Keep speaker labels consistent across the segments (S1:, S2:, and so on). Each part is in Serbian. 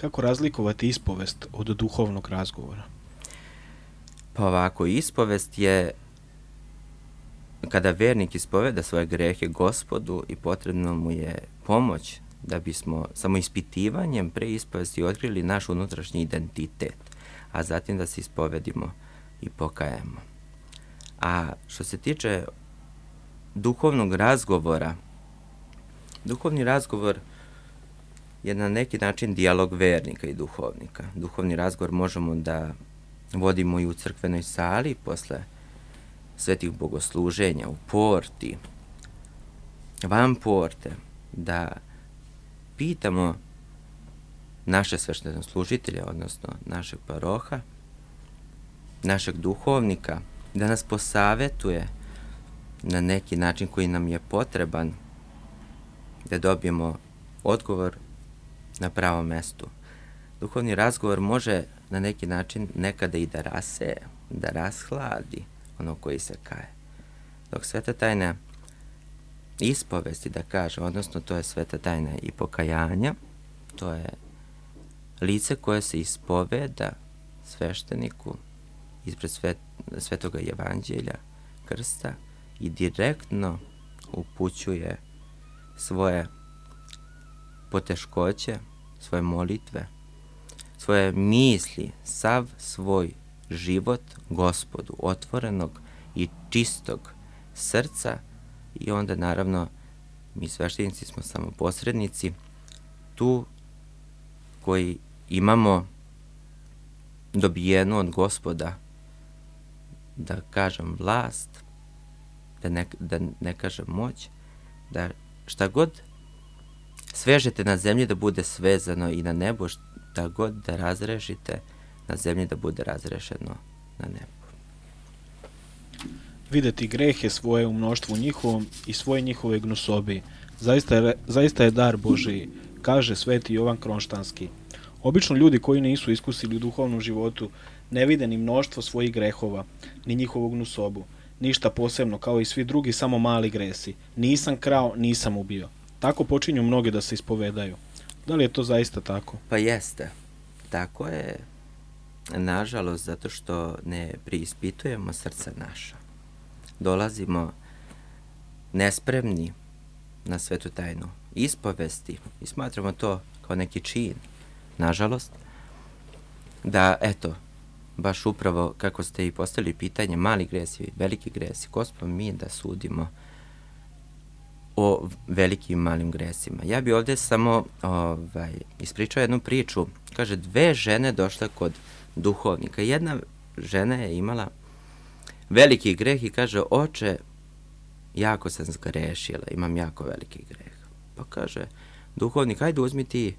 S1: Kako razlikovati ispovest od duhovnog razgovora?
S2: Pa ovako, ispovest je kada vernik ispoveda svoje grehe Gospodu i potrebno mu je pomoć da bismo samo ispitivanjem pre ispovesti otkrili naš unutrašnji identitet, a zatim da se ispovedimo i pokajemo. A što se tiče duhovnog razgovora, duhovni razgovor je na neki način dijalog vernika i duhovnika. Duhovni razgovor možemo da vodimo i u crkvenoj sali posle svetih bogosluženja, u porti, van porte, da pitamo naše sveštenoslужitelje, odnosno našeg paroha, našeg duhovnika, da nas posavetuje na neki način koji nam je potreban, da dobijemo odgovor na pravom mestu. Duhovni razgovor može na neki način nekada i da raseje, da rashladi ono koji se kaje. Dok sveta tajna ispovesti, da kaže, odnosno to je sveta tajna i pokajanja, to je lice koje se ispoveda svešteniku ispred svetoga evanđelja, krsta i direktno upućuje svoje poteškoće, svoje molitve, svoje misli, sav svoj život Gospodu, otvorenog i čistog srca, i onda naravno mi sveštenici smo samo posrednici tu koji imamo dobijenu od Gospoda, da kažem vlast, da ne kažem moć, da šta god svežete na zemlji da bude svezano i na nebu, šta god da razrešite na zemlji da bude razrešeno na nebu.
S1: Videti grehe svoje u mnoštvu njihovom i svoje njihove gnusobi. Zaista je dar Božiji, kaže sveti Jovan Kronštanski. Obično ljudi koji nisu iskusili u duhovnom životu ne vide ni mnoštvo svojih grehova, ni njihovu gnusobu. Ništa posebno, kao i svi drugi, samo mali gresi. Nisam krao, nisam ubio. Tako počinju mnogi da se ispovedaju. Da li je to zaista tako?
S2: Pa jeste. Tako je, nažalost, zato što ne preispitujemo srca naša. Dolazimo nespremni na svetu tajnu ispovesti i smatramo to kao neki čin, nažalost, da, eto, baš upravo kako ste i postavili pitanje, mali gresi, veliki gresi, ko smo mi da sudimo o velikim i malim gresima. Ja bi ovdje samo ispričao jednu priču. Kaže, 2 žene došle kod duhovnika. Jedna žena je imala veliki greh i kaže, oče, jako sam zgrešila, imam jako veliki greh. Pa kaže, duhovnik, ajde uzmi ti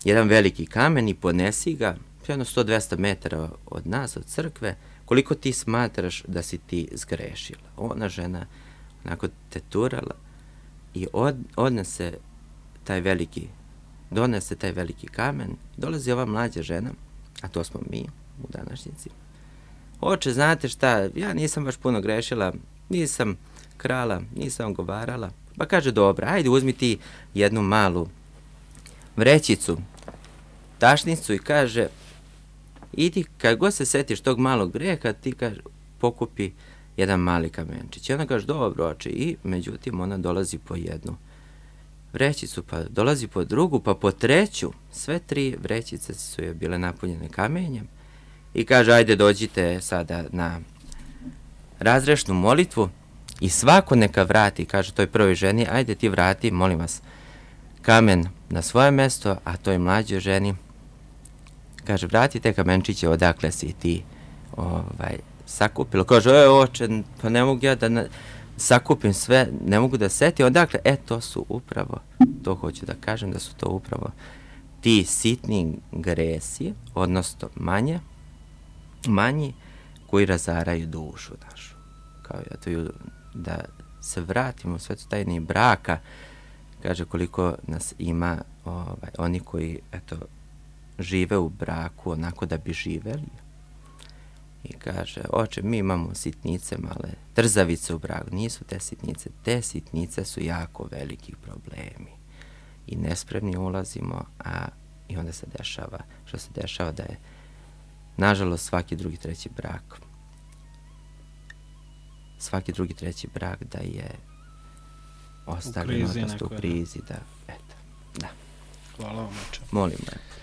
S2: jedan veliki kamen i ponesi ga, jedno 100-200 metara od nas, od crkve, koliko ti smatraš da si ti zgrešila. Ona žena onako teturala i donese taj veliki kamen. Dolazi ova mlađa žena, a to smo mi u današnjici. Oče, znate šta, ja nisam baš puno grešila, nisam krala, nisam ogovarala. Pa kaže, dobro, ajde uzmi ti jednu malu vrećicu, tašnicu i kaže, idi kad god se setiš tog malog greha, ti kaže, pokupi jedan mali kamenčić. I ona kaže, dobro oče, i međutim ona dolazi po jednu vrećicu, pa dolazi po drugu, pa po treću. Sve 3 vrećice su je bile napunjene kamenjem i kaže, ajde dođite sada na razrešnu molitvu i svako neka vrati, kaže toj prvoj ženi, ajde ti vrati, molim vas, kamen na svoje mesto, a toj mlađoj ženi kaže, vrati te kamenčiće odakle si ti sakupilo. Kaže, oče, pa ne mogu ja da sakupim sve, ne mogu da setim odakle. To su upravo, to hoću da kažem, da su to upravo ti sitni gresi, odnosno manji, koji razaraju dušu našu. Kao da se vratimo u svetu tajne braka, kaže koliko nas ima oni koji, žive u braku onako da bi živeli. I kaže, oče, mi imamo sitnice male, trzavice u braku. Nisu te sitnice su jako veliki problemi. I nespremni ulazimo, a I onda se dešava, što se dešava da je, nažalost, svaki drugi, treći brak da je ostavljen, odnosno u krizi, da, eto, da.
S1: Hvala vam, oče.
S2: Molim me.